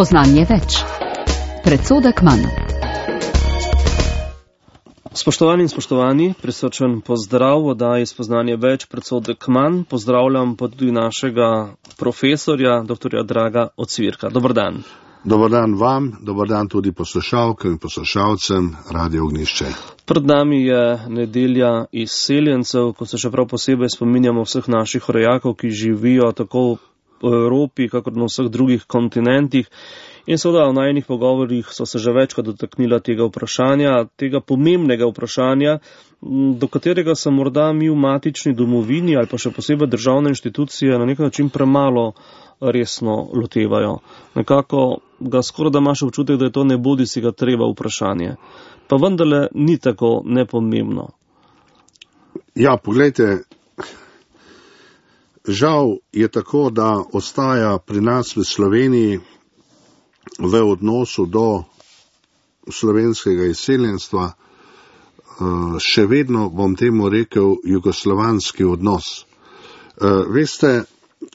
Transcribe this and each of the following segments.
Spoznanje več. Predsodek manj. Spoštovani in spoštovani, prisrčen pozdrav v oddaji Spoznanje več, predsodek manj. Pozdravljam pa tudi našega profesorja, doktorja Draga Ocvirka. Dobar dan. Dobar dan vam, dobar dan tudi poslušalkam in poslušalcem Radio Ognjišče. Pred nami je nedelja izseljencev, ko se še prav posebej spominjamo vseh naših rojakov, ki živijo tako v Evropi, kakor na vseh drugih kontinentih. In seveda v najinih pogovorih so se že večkrat dotaknila tega vprašanja, tega pomembnega vprašanja, do katerega se morda mi v matični domovini ali pa še posebej državne inštitucije na nek način premalo resno lotevajo. Nekako ga skoraj da imaš občutek, da je to ne bodi si ga treba vprašanje. Pa vendarle ni tako nepomembno. Ja, poglejte, žal je tako, da ostaja pri nas v Sloveniji v odnosu do slovenskega izseljenstva še vedno, bom temu rekel, jugoslovanski odnos. Veste,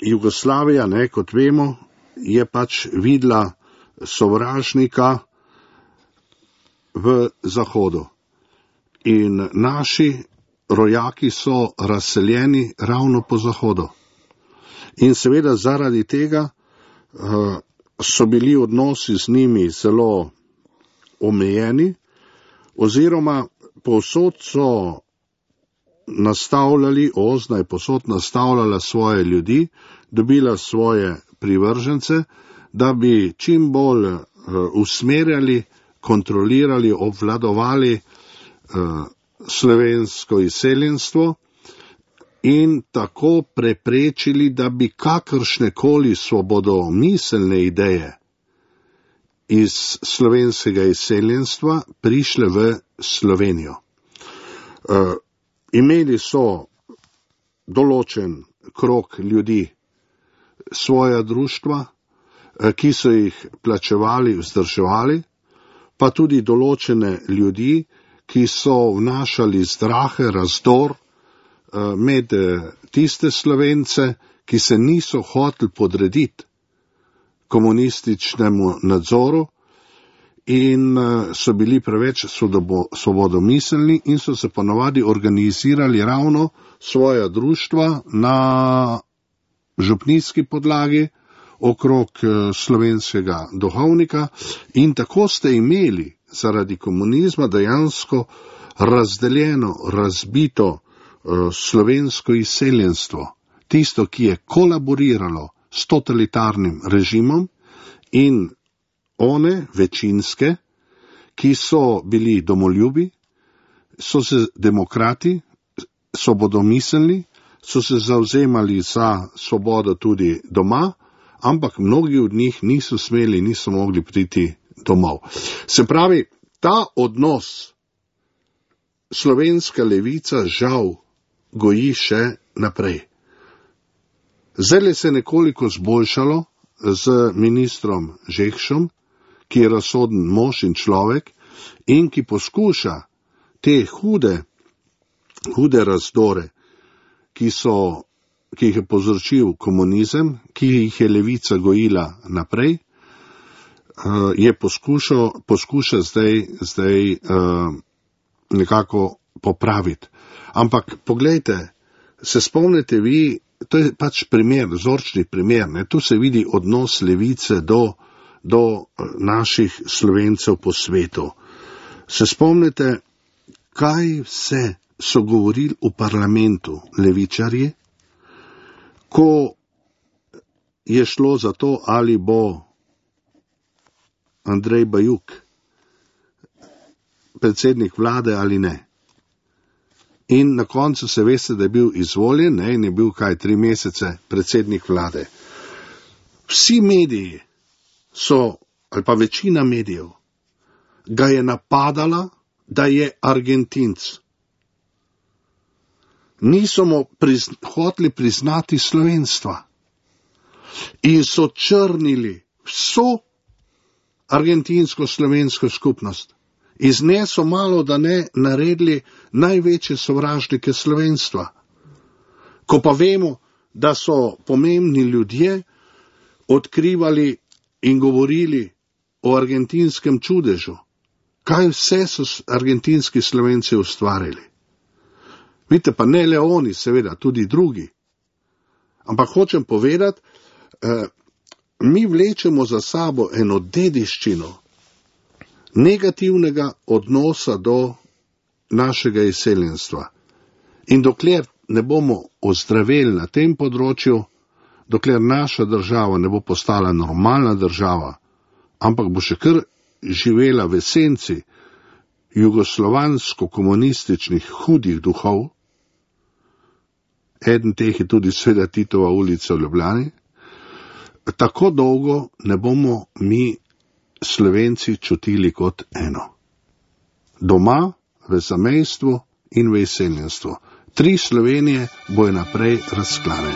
Jugoslavija, kot vemo, je pač videla sovražnika v Zahodu. In naši rojaki so razseljeni ravno po Zahodu. In seveda zaradi tega so bili odnosi z njimi zelo omejeni, oziroma povsod so nastavljali, OZNA je povsod nastavljala svoje ljudi, dobila svoje privržence, da bi čim bolj usmerjali, kontrolirali, obvladovali slovensko izseljenstvo in tako preprečili, da bi kakršnekoli svobodomiselne ideje iz slovenskega izseljenstva prišle v Slovenijo. Imeli so določen krog ljudi, svoja društva, ki so jih plačevali, vzdrževali, pa tudi določene ljudi, ki so vnašali zdrahe, razdor med tiste Slovence, ki se niso hoteli podrediti komunističnemu nadzoru in so bili preveč svobodomiselni in so se ponavadi organizirali ravno svoja društva na župnijski podlagi okrog slovenskega duhovnika in tako ste imeli zaradi komunizma dejansko razdeljeno, razbito slovensko izseljenstvo, tisto, ki je kolaboriralo s totalitarnim režimom in one večinske, ki so bili domoljubi, so se demokrati, svobodomiselni, so se zavzemali za svobodo tudi doma, ampak mnogi od njih niso smeli, niso mogli priti domov. Se pravi, ta odnos slovenska levica žal goji še naprej. Zdaj se je nekoliko zboljšalo z ministrom Žekšom, ki je razsoden mož in človek in ki poskuša te hude razdore, ki jih je povzročil komunizem, ki jih je levica gojila naprej, je poskuša zdaj nekako popraviti. Ampak poglejte, se spomnite vi, to je pač primer, vzorčni primer, tu se vidi odnos levice do naših Slovencev po svetu. Se spomnite, kaj vse so govorili v parlamentu levičarji, ko je šlo za to, ali bo Andrej Bajuk predsednik vlade ali ne. In na koncu se veste, da je bil izvoljen, in je bil 3 mesece predsednik vlade. Vsi mediji so, ali pa večina medijev, ga je napadala, da je Argentinc. Niso mu hoteli priznati slovenstva in so črnili vso argentinsko-slovensko skupnost. Iz nje so malo da ne naredili največje sovražnike slovenstva. Ko pa vemo, da so pomembni ljudje odkrivali in govorili o argentinskem čudežu. Kaj vse so argentinski Slovenci ustvarili? Vidite, pa ne le oni, seveda, tudi drugi. Ampak hočem povedati, mi vlečemo za sabo eno dediščino negativnega odnosa do našega izseljenstva. In dokler ne bomo ozdraveli na tem področju, dokler naša država ne bo postala normalna država, ampak bo še kar živela v esenci jugoslovansko-komunističnih hudih duhov, eden teh je tudi seveda Titova ulica v Ljubljani, tako dolgo ne bomo mi Slovenci čutili kot eno. Doma, v zamejstvu in v izseljenstvu. 3 Slovenije bojo naprej razklane.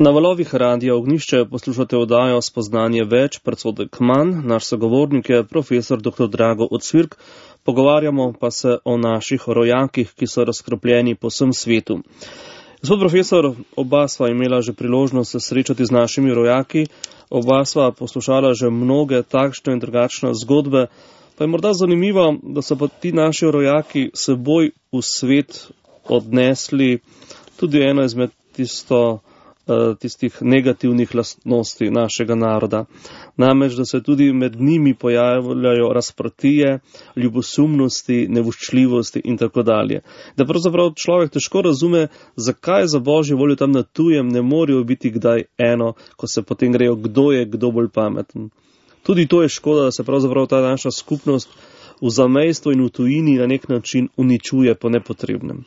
Na valovih Radia Ognjišče poslušate oddajo Spoznanje več, predsodek manj. Naš sogovornik je profesor dr. Drago Ocvirk. Pogovarjamo pa se o naših rojakih, ki so razkropljeni po vsem svetu. Gospod profesor, oba sva imela že priložnost se srečati z našimi rojaki, oba sva poslušala že mnoge takšne in drugačne zgodbe, pa je morda zanimivo, da so pa ti naši rojaki seboj v svet odnesli tudi eno izmed tistih negativnih lastnosti našega naroda. Namreč, da se tudi med njimi pojavljajo razprtije, ljubosumnosti, nevoščljivosti in tako dalje. Da pravzaprav človek težko razume, zakaj za božjo voljo tam na tujem ne morejo biti kdaj eno, ko se potem grejo, kdo je kdo bolj pameten. Tudi to je škoda, da se pravzaprav ta naša skupnost v zamejstvu in v tujini na nek način uničuje po nepotrebnem.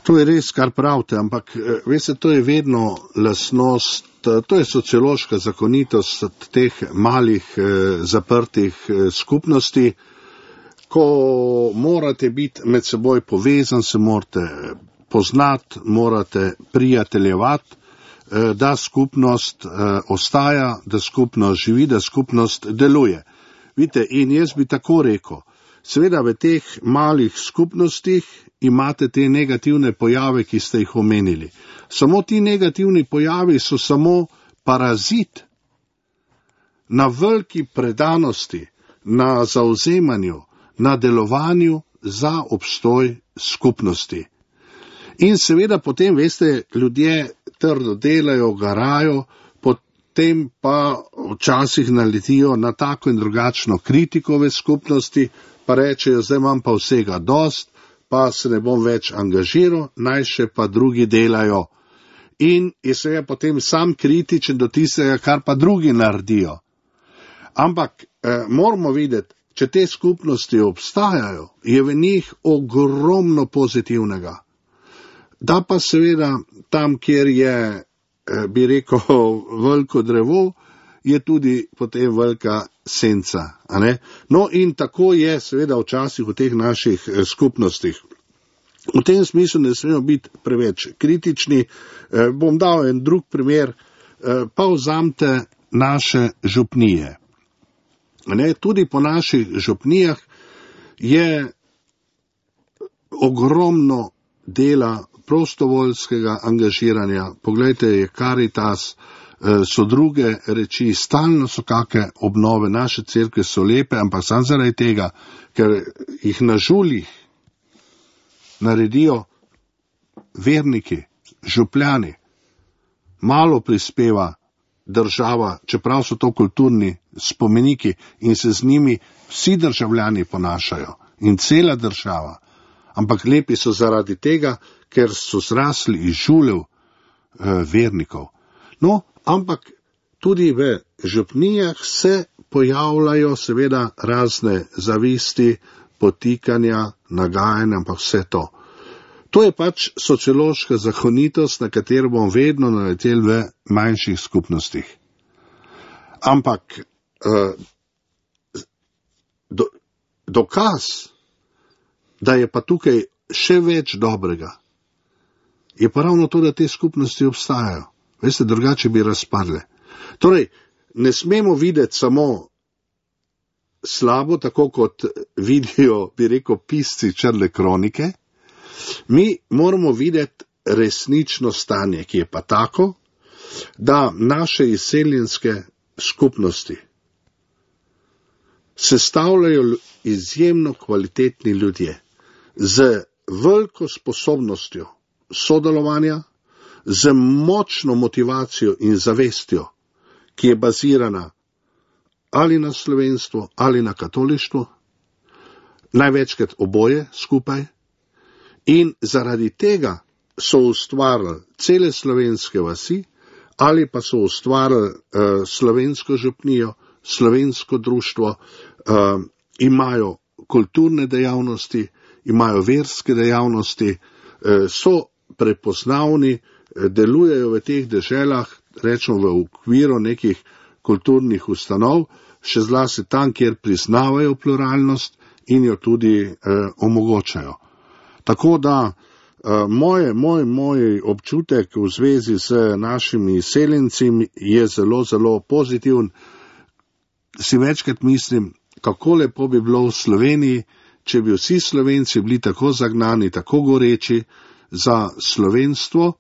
To je res, kar pravite, ampak veste, to je vedno lastnost, to je sociološka zakonitost teh malih zaprtih skupnosti, ko morate biti med seboj povezan, se morate poznati, morate prijateljevati, da skupnost ostaja, da skupnost živi, da skupnost deluje. Vidite, in jaz bi tako rekel, seveda v teh malih skupnostih imate te negativne pojave, ki ste jih omenili. Samo ti negativni pojavi so samo parazit na veliki predanosti, na zauzemanju, na delovanju za obstoj skupnosti. In seveda potem, veste, ljudje trdo delajo, garajo, potem pa včasih naletijo na tako in drugačno kritiko v skupnosti, pa rečejo, zdaj imam pa vsega dost, pa se ne bom več angažiral, naj še pa drugi delajo. In je seveda potem sam kritičen do tistega, kar pa drugi naredijo. Ampak moramo videti, če te skupnosti obstajajo, je v njih ogromno pozitivnega. Da pa seveda tam, kjer je, bi rekel, veliko drevo, je tudi potem velika senca. A ne? No in tako je seveda včasih v teh naših skupnostih. V tem smislu ne smemo biti preveč kritični. Bom dal en drug primer, pa vzamte naše župnije. Ne? Tudi po naših župnijah je ogromno dela prostovoljskega angažiranja, poglejte, je Caritas, so druge reči, stalno so kakšne obnove, naše cerkve so lepe, ampak samo zaradi tega, ker jih na žuljih naredijo verniki, župljani, malo prispeva država, čeprav so to kulturni spomeniki in se z njimi vsi državljani ponašajo in cela država, ampak lepi so zaradi tega, ker so zrasli iz žuljev vernikov. No, ampak tudi v župnijah se pojavljajo seveda razne zavisti, potikanja, nagajanja, ampak vse to. To je pač sociološka zakonitost, na katero bom vedno naletel v manjših skupnostih. Ampak dokaz, da je pa tukaj še več dobrega, je pa ravno to, da te skupnosti obstajajo. Veste, drugače bi razpadle. Torej, ne smemo videti samo slabo, tako kot vidijo, bi rekel, pisci črne kronike. Mi moramo videti resnično stanje, ki je pa tako, da naše izseljenske skupnosti sestavljajo izjemno kvalitetni ljudje z veliko sposobnostjo sodelovanja, z močno motivacijo in zavestjo, ki je bazirana ali na slovenstvu ali na katolištvu, največkrat oboje skupaj, in zaradi tega so ustvarili cele slovenske vasi ali pa so ustvarili slovensko župnijo, slovensko društvo, imajo kulturne dejavnosti, imajo verske dejavnosti, so prepoznavni, delujejo v teh deželah, rečemo v okviru nekih kulturnih ustanov, še zlasti tam, kjer priznavajo pluralnost in jo tudi omogočajo. Tako da moj občutek v zvezi z našimi izseljenci je zelo, zelo pozitiven. Si večkrat mislim, kako lepo bi bilo v Sloveniji, če bi vsi Slovenci bili tako zagnani, tako goreči za slovenstvo,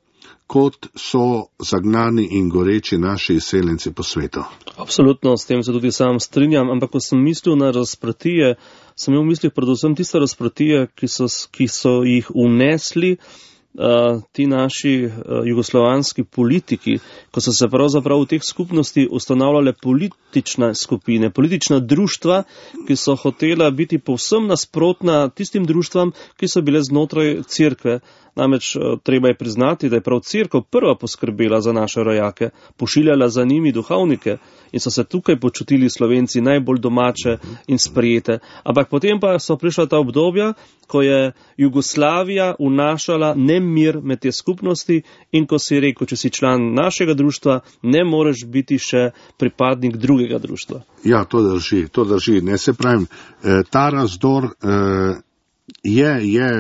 kot so zagnani in goreči naši izseljenci po svetu. Absolutno, s tem se tudi sam strinjam, ampak ko sem mislil na razprtije, sem imel v mislih predvsem tiste razprtije, ki so jih unesli ti naši jugoslovanski politiki, ko so se pravzaprav v teh skupnosti ustanavljale politične skupine, politična društva, ki so hotela biti povsem nasprotna tistim društvam, ki so bile znotraj cerkve. Namreč treba je priznati, da je prav cerkev prva poskrbela za naše rojake, pošiljala za njimi duhovnike in so se tukaj počutili Slovenci najbolj domače in sprejete. Ampak potem pa so prišla ta obdobja, ko je Jugoslavija vnašala nemir med te skupnosti in ko si rekel, če si član našega društva, ne moreš biti še pripadnik drugega društva. Ja, to drži. Ne se pravim, ta razdor je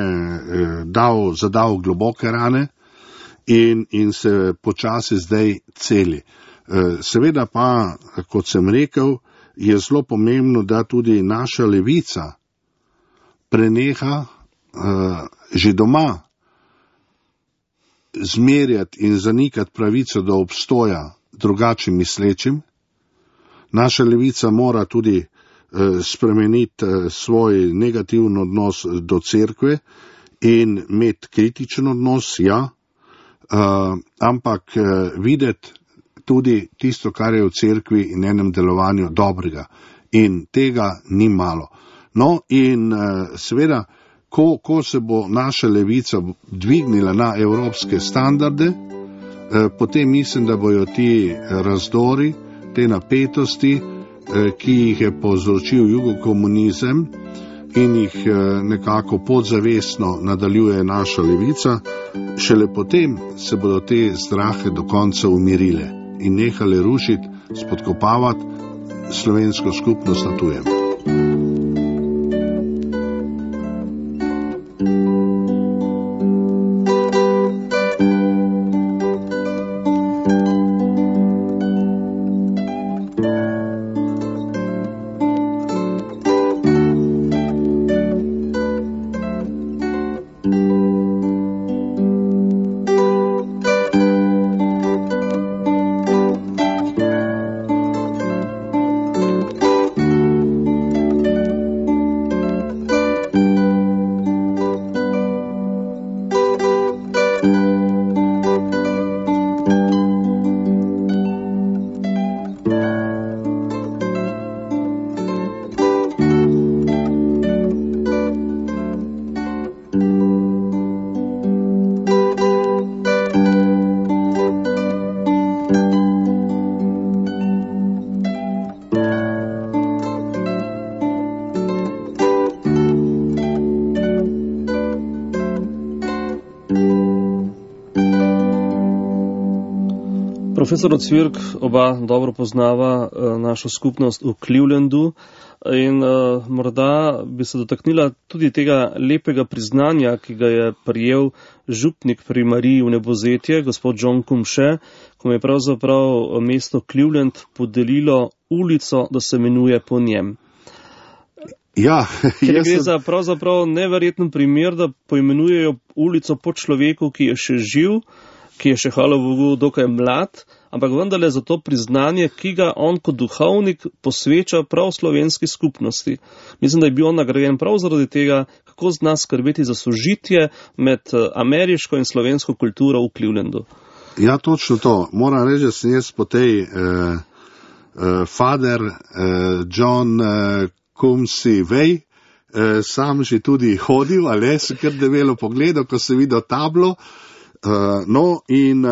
zadal globoke rane in se počasi zdaj celi. Seveda pa, kot sem rekel, je zelo pomembno, da tudi naša levica preneha že doma zmerjati in zanikati pravico do obstoja drugače mislečim. Naša levica mora tudi spremeniti svoj negativen odnos do cerkve in imeti kritičen odnos, ja, ampak videti tudi tisto, kar je v cerkvi in enem delovanju dobrega. In tega ni malo. No in seveda, ko se bo naša levica dvignila na evropske standarde, potem mislim, da bojo ti razdori, te napetosti, ki jih je povzročil jugokomunizem in jih nekako podzavestno nadaljuje naša levica, šele potem se bodo te strahe do konca umirile in nehale rušiti, spodkopavati slovensko skupnost na tujem. Profesor Ocvirk oba dobro poznava našo skupnost v Clevelandu in morda bi se dotaknila tudi tega lepega priznanja, ki ga je prijel župnik pri Mariji v Nebozetje, gospod John Cumshe, ko je pravzaprav mesto Cleveland podelilo ulico, da se imenuje po njem. Ja, Ker gre za pravzaprav neverjeten primer, da poimenujejo ulico po človeku, ki je še živ, ki je še hvala Bogu dokaj mlad, ampak vendarle za to priznanje, ki ga on kot duhovnik posveča prav slovenski skupnosti. Mislim, da je bil on nagrajen prav zaradi tega, kako zna skrbeti za sožitje med ameriško in slovensko kulturo v Clevelandu. Ja, točno to. Moram reči, da sem jaz po tej Father John Cumshe Way sam že tudi hodil, ali se kar debelo pogledal, ko se videl tablo. No, in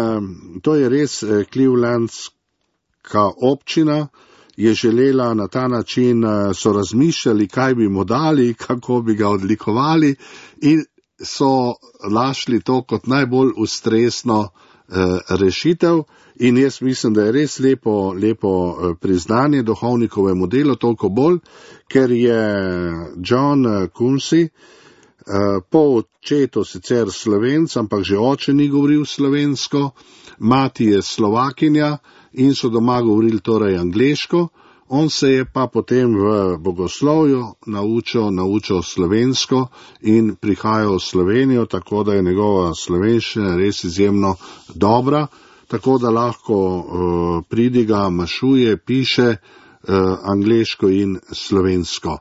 to je res Clevelandska občina je želela na ta način, so razmišljali, kaj bi mu dali, kako bi ga odlikovali in so našli to kot najbolj ustrezno rešitev. In jaz mislim, da je res lepo priznanje duhovnikovemu delu, toliko bolj, ker je John Cumshe po očetu sicer Slovenc, ampak že oče ni govoril slovensko, mati je Slovakinja in so doma govorili torej angleško. On se je pa potem v bogoslovju naučil slovensko in prihajal v Slovenijo, tako da je njegova slovenščina res izjemno dobra, tako da lahko pridiga, mašuje, piše angleško in slovensko.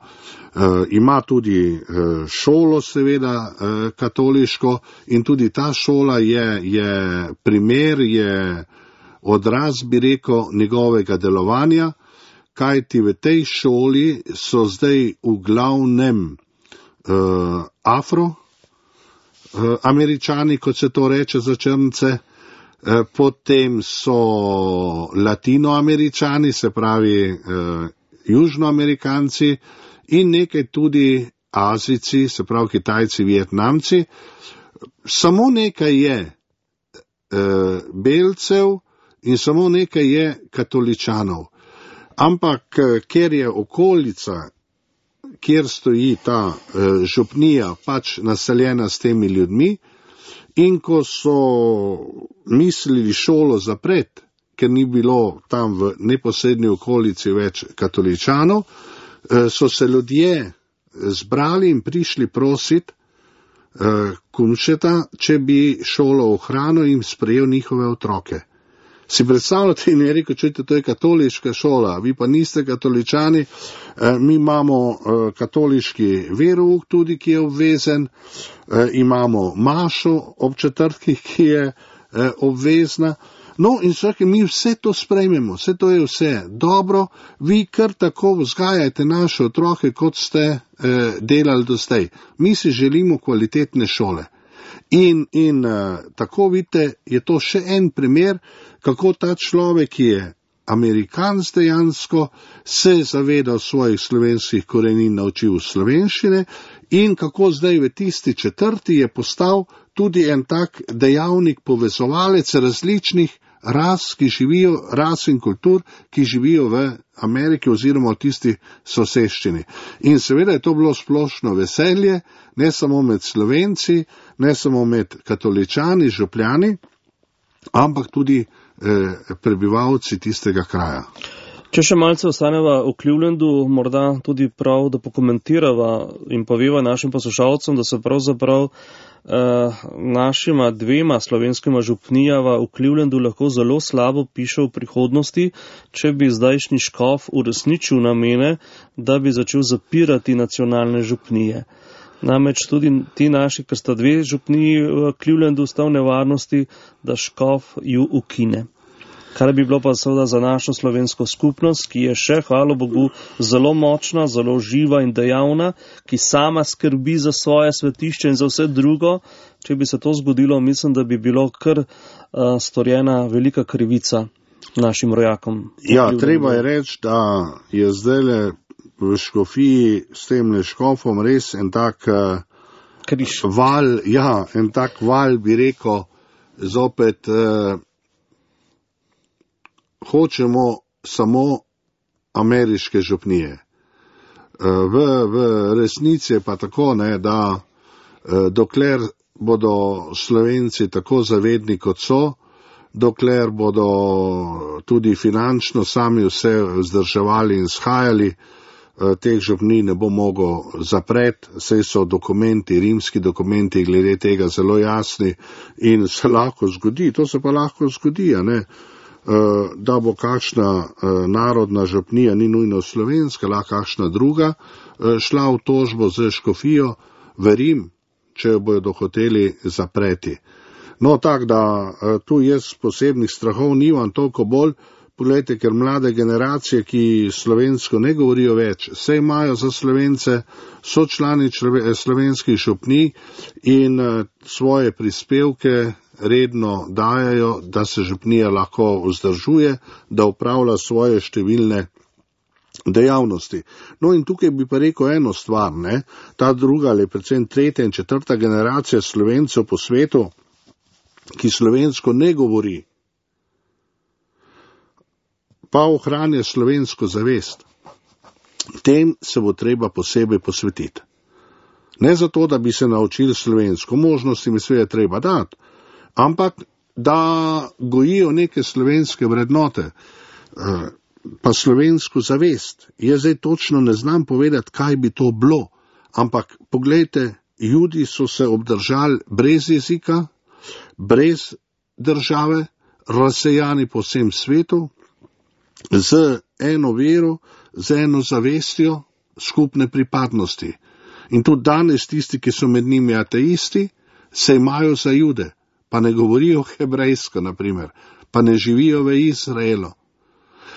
Ima tudi šolo, seveda, katoliško, in tudi ta šola je primer, je odraz, bi rekel, njegovega delovanja, kajti v tej šoli so zdaj v glavnem Afroameričani, kot se to reče za črnce, potem so Latinoameričani, se pravi Južnoamerikanci, in nekaj tudi Azijci, se pravi Kitajci, Vietnamci. Samo nekaj je belcev in samo nekaj je katoličanov. Ampak ker je okolica, kjer stoji ta župnija, pač naseljena s temi ljudmi, in ko so mislili šolo zapreti, ker ni bilo tam v neposrednji okolici več katoličanov, so se ljudje zbrali in prišli prositi Cumsheta, če bi šolo ohranil in sprejel njihove otroke. Si predstavljate, in je rekel, čujte, to je katoliška šola, vi pa niste katoličani, mi imamo katoliški verouk tudi, ki je obvezen, imamo mašo ob četrtkih, ki je obvezna. No, in vsake, mi vse to sprejmemo, vse to je vse dobro, vi kar tako vzgajajte naše otroke, kot ste delali do zdaj. Mi si želimo kvalitetne šole. In tako vidite, je to še en primer, kako ta človek, ki je Amerikanc dejansko, se zavedal svojih slovenskih korenin, naučil slovenščine in kako zdaj v tisti četrti je postal tudi en tak dejavnik, povezovalec različnih ras, ki živijo, ras in kultur, ki živijo v Ameriki oziroma v tisti soseščini. In seveda je to bilo splošno veselje, ne samo med Slovenci, ne samo med katoličani, župljani, ampak tudi prebivalci tistega kraja. Če še malce ostaneva v Clevelandu, morda tudi prav, da pokomentirava in poveva našim poslušalcem, da se pravzaprav našima dvema slovenskima župnijava v Clevelandu lahko zelo slabo piše v prihodnosti, če bi zdajšnji škof uresničil namene, da bi začel zapirati nacionalne župnije. Namreč tudi ti naši, ker sta dve župniji v Clevelandu, sta v nevarnosti, da škof ju ukine. Kar bi bilo pa seveda za našo slovensko skupnost, ki je še, hvala Bogu, zelo močna, zelo živa in dejavna, ki sama skrbi za svoje svetišče in za vse drugo. Če bi se to zgodilo, mislim, da bi bilo kar storjena velika krivica našim rojakom. Ja, treba je reči, da je zdajle v škofiji s tem škofom res en tak val, ja, en tak val, bi rekel, zopet hočemo samo ameriške župnije. V resnici je pa tako, ne, da dokler bodo Slovenci tako zavedni, kot so, dokler bodo tudi finančno sami vse vzdrževali in shajali, teh župnij ne bo mogel zapreti, saj so dokumenti, rimski dokumenti glede tega zelo jasni in se lahko zgodi, to se pa lahko zgodi, ne, da bo kakšna narodna župnija, ni nujno slovenska, lahko kakšna druga, šla v tožbo z škofijo v Rim, če jo bojo dohoteli zapreti. No, tako da tu jaz posebnih strahov nimam, toliko bolj, poglejte, ker mlade generacije, ki slovensko ne govorijo več, se imajo za Slovence, so člani slovenskih župnij in svoje prispevke redno dajajo, da se župnija lahko vzdržuje, da upravlja svoje številne dejavnosti. No in tukaj bi pa rekel eno stvar, ne, ta druga ali predvsem tretja in četrta generacija Slovencev po svetu, ki slovensko ne govori, pa ohranja slovensko zavest. Tem se bo treba posebej posvetiti. Ne zato, da bi se naučili slovensko, možnosti mi sve je treba dati, ampak da gojijo neke slovenske vrednote, pa slovensko zavest. Jaz zdaj točno ne znam povedati, kaj bi to bilo, ampak poglejte, Judi so se obdržali brez jezika, brez države, razsejani po vsem svetu, z eno vero, z eno zavestjo skupne pripadnosti. In tudi danes tisti, ki so med njimi ateisti, se imajo za Jude, pa ne govorijo hebrejsko, naprimer, pa ne živijo v Izraelu.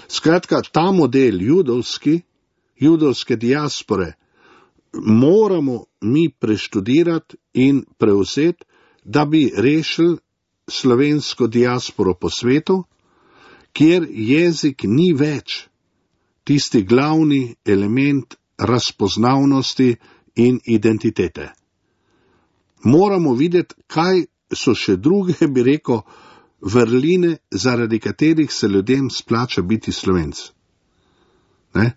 Skratka, ta model judovske diaspore moramo mi preštudirati in prevzeti, da bi rešili slovensko diasporo po svetu, kjer jezik ni več tisti glavni element razpoznavnosti in identitete. Moramo videti, kaj so še druge, bi rekel, vrline, zaradi katerih se ljudem splača biti Slovenc. Ne?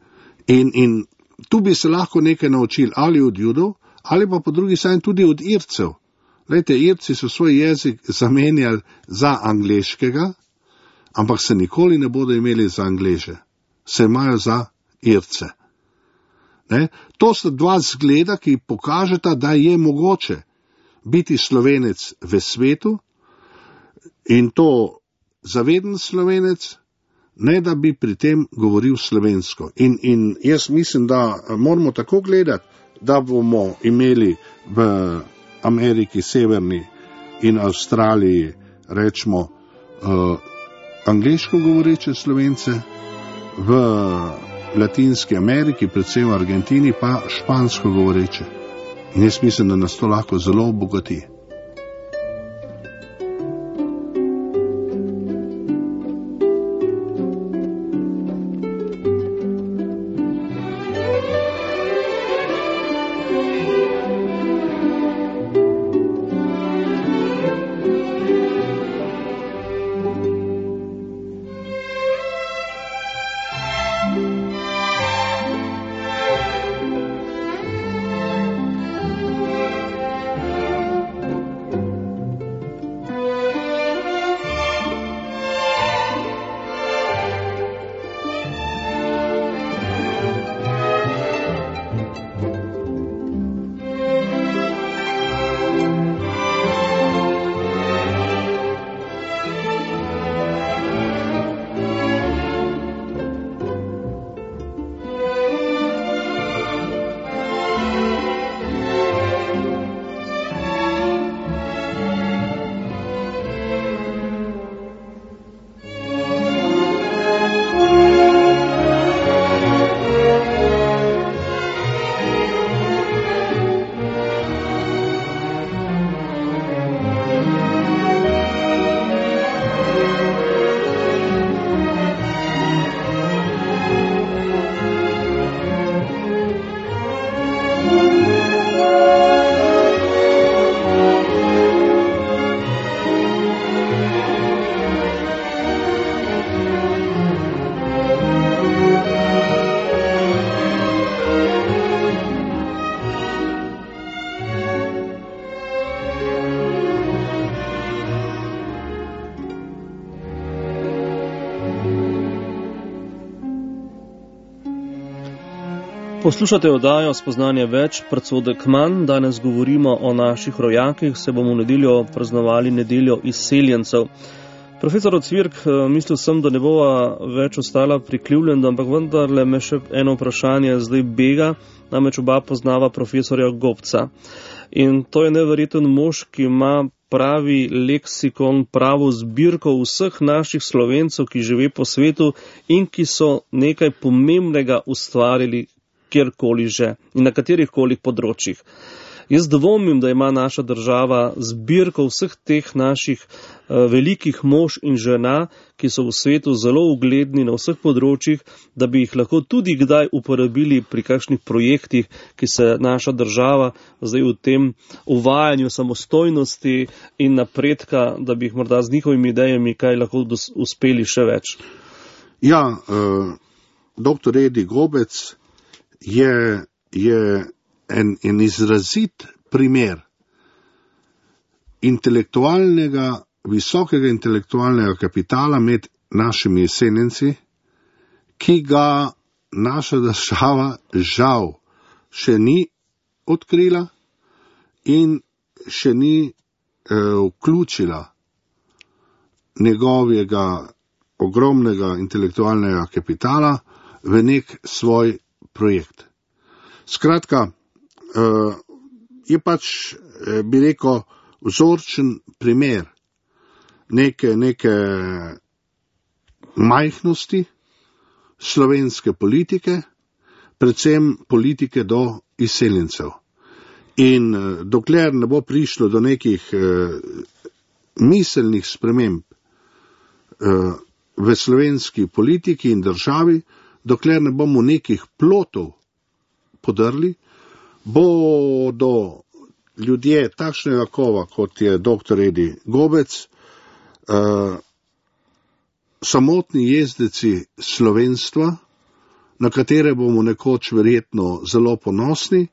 In tu bi se lahko nekaj naučili ali od Judov, ali pa po drugi strani tudi od Ircev. Glejte, Irci so svoj jezik zamenjali za angleškega, ampak se nikoli ne bodo imeli za Angleže, se imajo za Irce. Ne? To sta dva zgleda, ki pokažeta, da je mogoče biti Slovenec v svetu in to zaveden Slovenec, ne da bi pri tem govoril slovensko. In jaz mislim, da moramo tako gledati, da bomo imeli v Ameriki severni in Avstraliji, rečemo, angleško govoreče Slovence, v Latinski Ameriki, predvsem v Argentini, pa špansko govoreče. In jaz mislim, da nas to lahko zelo obogati. Poslušate oddajo Spoznanje več, predsodek manj. Danes govorimo o naših rojakih, se bomo v nedeljo praznovali nedeljo izseljencev. Profesor Ocvirk, mislil sem, da ne bova več ostala prikrivljena, ampak vendarle me še eno vprašanje zdaj bega, namreč oba poznava profesorja Gobca. In to je neverjeten mož, ki ima pravi leksikon, pravo zbirko vseh naših Slovencev, ki žive po svetu in ki so nekaj pomembnega ustvarili kjerkoli že in na katerihkoli področjih. Jaz dvomim, da ima naša država zbirko vseh teh naših velikih mož in žena, ki so v svetu zelo ugledni na vseh področjih, da bi jih lahko tudi kdaj uporabili pri kakšnih projektih, ki se naša država zdaj v tem uvajanju samostojnosti in napredka, da bi jih morda z njihovimi idejami kaj lahko uspeli še več. Ja, dr. Edi Gobec je en izrazit primer visokega intelektualnega kapitala med našimi izseljenci, ki ga naša država žal še ni odkrila in še ni vključila njegovega ogromnega intelektualnega kapitala v nek svoj projekt. Skratka, je pač, bi rekel, vzorčen primer neke majhnosti slovenske politike, predvsem politike do izseljencev. In dokler ne bo prišlo do nekih miselnih sprememb v slovenski politiki in državi, dokler ne bomo nekih plotov podrli, bodo ljudje takšnega kova, kot je dr. Edi Gobec, samotni jezdeci slovenstva, na katere bomo nekoč verjetno zelo ponosni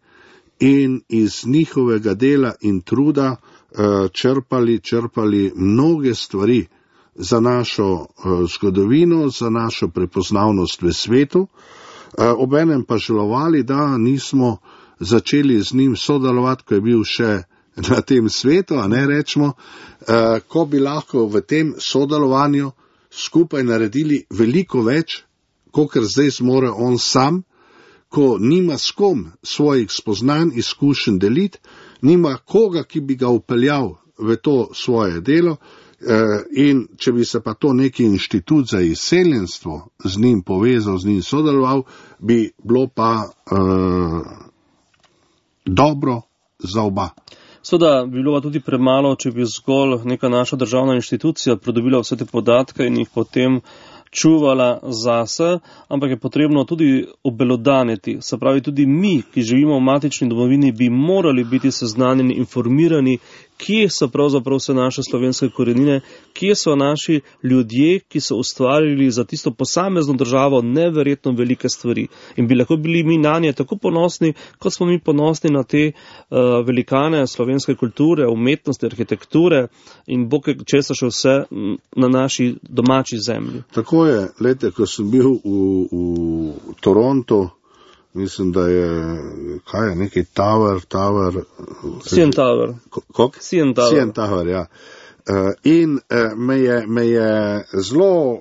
in iz njihovega dela in truda črpali mnoge stvari za našo zgodovino, za našo prepoznavnost v svetu, obenem pa žalovali, da nismo začeli z njim sodelovati, ko je bil še na tem svetu, a ne rečemo, ko bi lahko v tem sodelovanju skupaj naredili veliko več, kakor zdaj zmore on sam, ko nima s kom svojih spoznanj, izkušenj deliti, nima koga, ki bi ga upeljal v to svoje delo. In če bi se pa to neki inštitut za izseljenstvo z njim povezal, z njim sodeloval, bi bilo pa dobro za oba. Seveda bi bilo pa tudi premalo, če bi zgolj neka naša državna inštitucija pridobila vse te podatke in jih potem čuvala zase, ampak je potrebno tudi obelodaniti. Se pravi, tudi mi, ki živimo v matični domovini, bi morali biti seznanjeni, informirani, kje so pravzaprav vse naše slovenske korenine, kje so naši ljudje, ki so ustvarili za tisto posamezno državo neverjetno velike stvari. In bi lahko bili mi na nje tako ponosni, kot smo mi ponosni na te velikane slovenske kulture, umetnosti, arhitekture in bog česa še vse na naši domači zemlji. Tako je, lete, ko sem bil v Torontu, mislim, da je, kaj je, neki Tower. CN Tower. Kok? CN Tower. CN Tower, ja. In me je zelo,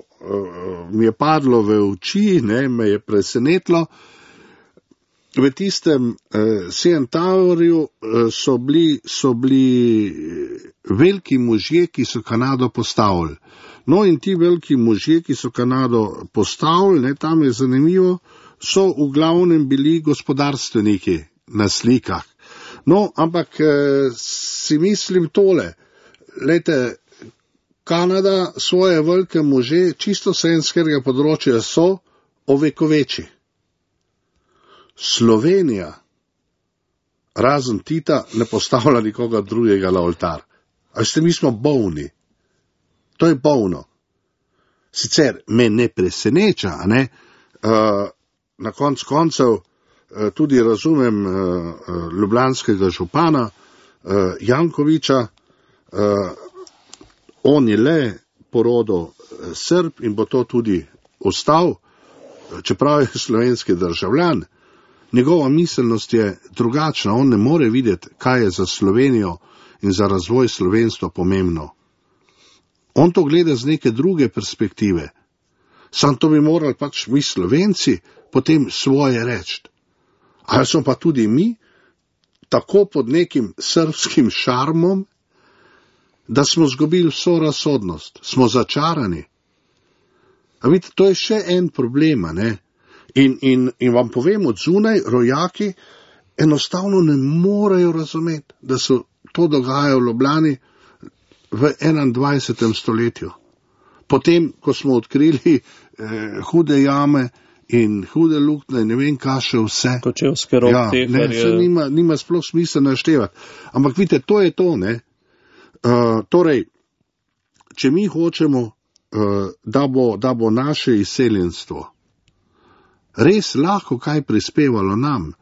mi je padlo v oči, me je presenetilo. V tistem CN Towerju so bili veliki možje, ki so Kanado postavili. No in ti veliki možje, ki so Kanado postavili, tam je zanimivo, so v glavnem bili gospodarstveniki na slikah. No, ampak si mislim tole, lejte, Kanada svoje velike može čisto slovenskega področja so ovekoveči. Slovenija, razen Tita, ne postavlja nikoga drugega na oltar. A ste, mi smo bolni. To je bolno. Sicer me ne preseneča, ne? Na koncev tudi razumem ljubljanskega župana Jankoviča, on je le porodil Srb in bo to tudi ostal, čeprav je slovenski državljan. njegova miselnost je drugačna, on ne more videti, kaj je za Slovenijo in za razvoj slovenstva pomembno. On to gleda z neke druge perspektive. Sam to bi morali pač mi Slovenci potem svoje reči. Ali smo pa tudi mi tako pod nekim srbskim šarmom, da smo zgubili vso razsodnost, smo začarani. A vidite, to je še en problem, ne? In vam povem, od zunaj rojaki enostavno ne morejo razumeti, da se to dogaja v Ljubljani v 21. stoletju. Potem, ko smo odkrili hude jame in hude luknje, ne vem, kaj še vse. Kočevske roke. Se nima sploh smisla naštevati. Ampak vidite, to je to, ne? Torej, če mi hočemo, da bo naše izseljenstvo res lahko kaj prispevalo nam,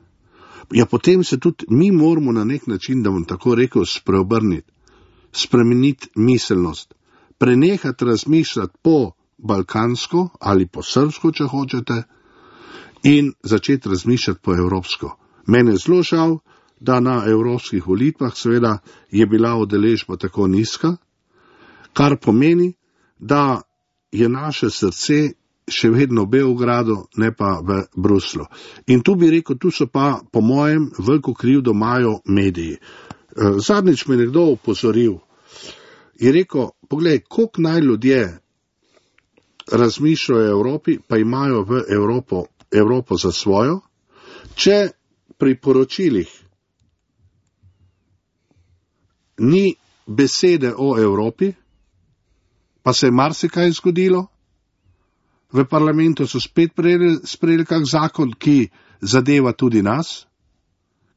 ja potem se tudi mi moramo na nek način, da bom tako rekel, spreobrniti, spremeniti miselnost, prenehati razmišljati po balkansko ali po srbsko, če hočete, in začeti razmišljati po evropsko. Mene je zelo žal, da na evropskih volitvah seveda je bila udeležba tako nizka, kar pomeni, da je naše srce še vedno v Beogradu, ne pa v Bruslu. In tu bi rekel, tu so pa po mojem veliko krivdo imajo mediji. Zadnjič me nekdo upozoril, je rekel, poglej, koliko naj ljudje razmišljajo o Evropi, pa imajo v Evropo za svojo, če pri poročilih ni besede o Evropi, pa se je marsikaj zgodilo, v parlamentu so spet sprejeli kak zakon, ki zadeva tudi nas,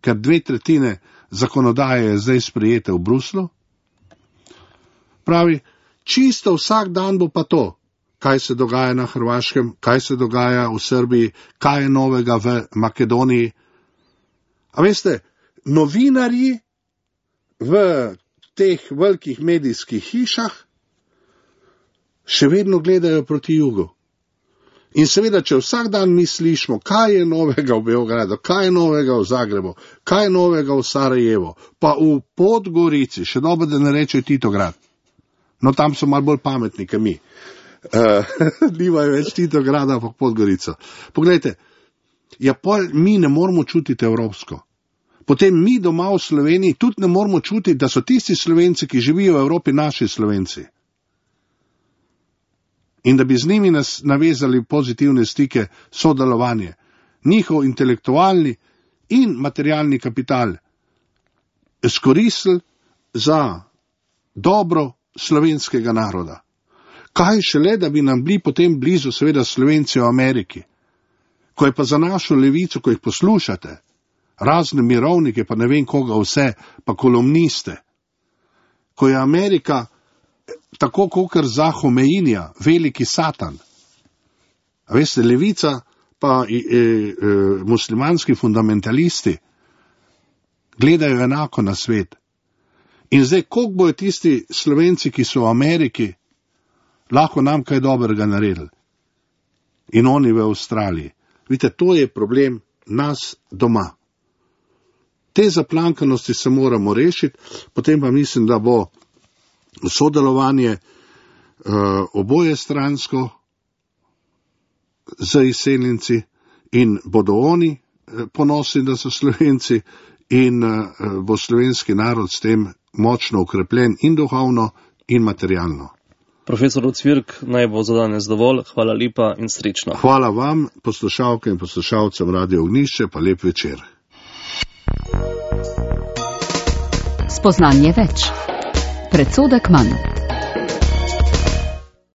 ker 2/3 zakonodaje je zdaj sprejete v Bruslu. Pravi, čisto vsak dan bo pa to, kaj se dogaja na Hrvaškem, kaj se dogaja v Srbiji, kaj je novega v Makedoniji. A veste, novinarji v teh velikih medijskih hišah še vedno gledajo proti jugu. In seveda, če vsak dan mi slišimo, kaj je novega v Beogradu, kaj je novega v Zagrebu, kaj je novega v Sarajevu, pa v Podgorici, še dobro, da ne reče Titograd. No, tam so malo bolj pametni, kot mi. Nimajo več Titograda, pa Podgorico. Poglejte, ja, mi ne moramo čutiti evropsko. Potem mi doma v Sloveniji tudi ne moramo čutiti, da so tisti Slovenci, ki živijo v Evropi, naši Slovenci. In da bi z njimi navezali pozitivne stike, sodelovanje, njihov intelektualni in materialni kapital izkoristili za dobro slovenskega naroda. Kaj šele, da bi nam bili potem blizu seveda Slovenci v Ameriki, ko je pa za našo levico, ko jih poslušate, razne mirovnike, pa ne vem koga vse, pa kolumniste, ko je Amerika tako kokor za Homeinija, veliki satan. A veste, levica pa muslimanski fundamentalisti gledajo enako na svet. In zdaj, koliko bojo tisti Slovenci, ki so v Ameriki, lahko nam kaj dobrega naredili? In oni v Avstraliji. Vidite, to je problem nas doma. Te zaplankanosti se moramo rešiti, potem pa mislim, da bo sodelovanje oboje stransko z izseljenci in bodo oni ponosni, da so Slovenci, in bo slovenski narod s tem močno ukrepljen in duhovno in materialno. Profesor Ocvirk, naj bo za danes dovolj. Hvala lepa in srečno. Hvala vam, poslušalke in poslušalcem Radio Ognjišče, pa lep večer. Spoznanje več. Predsodek manj.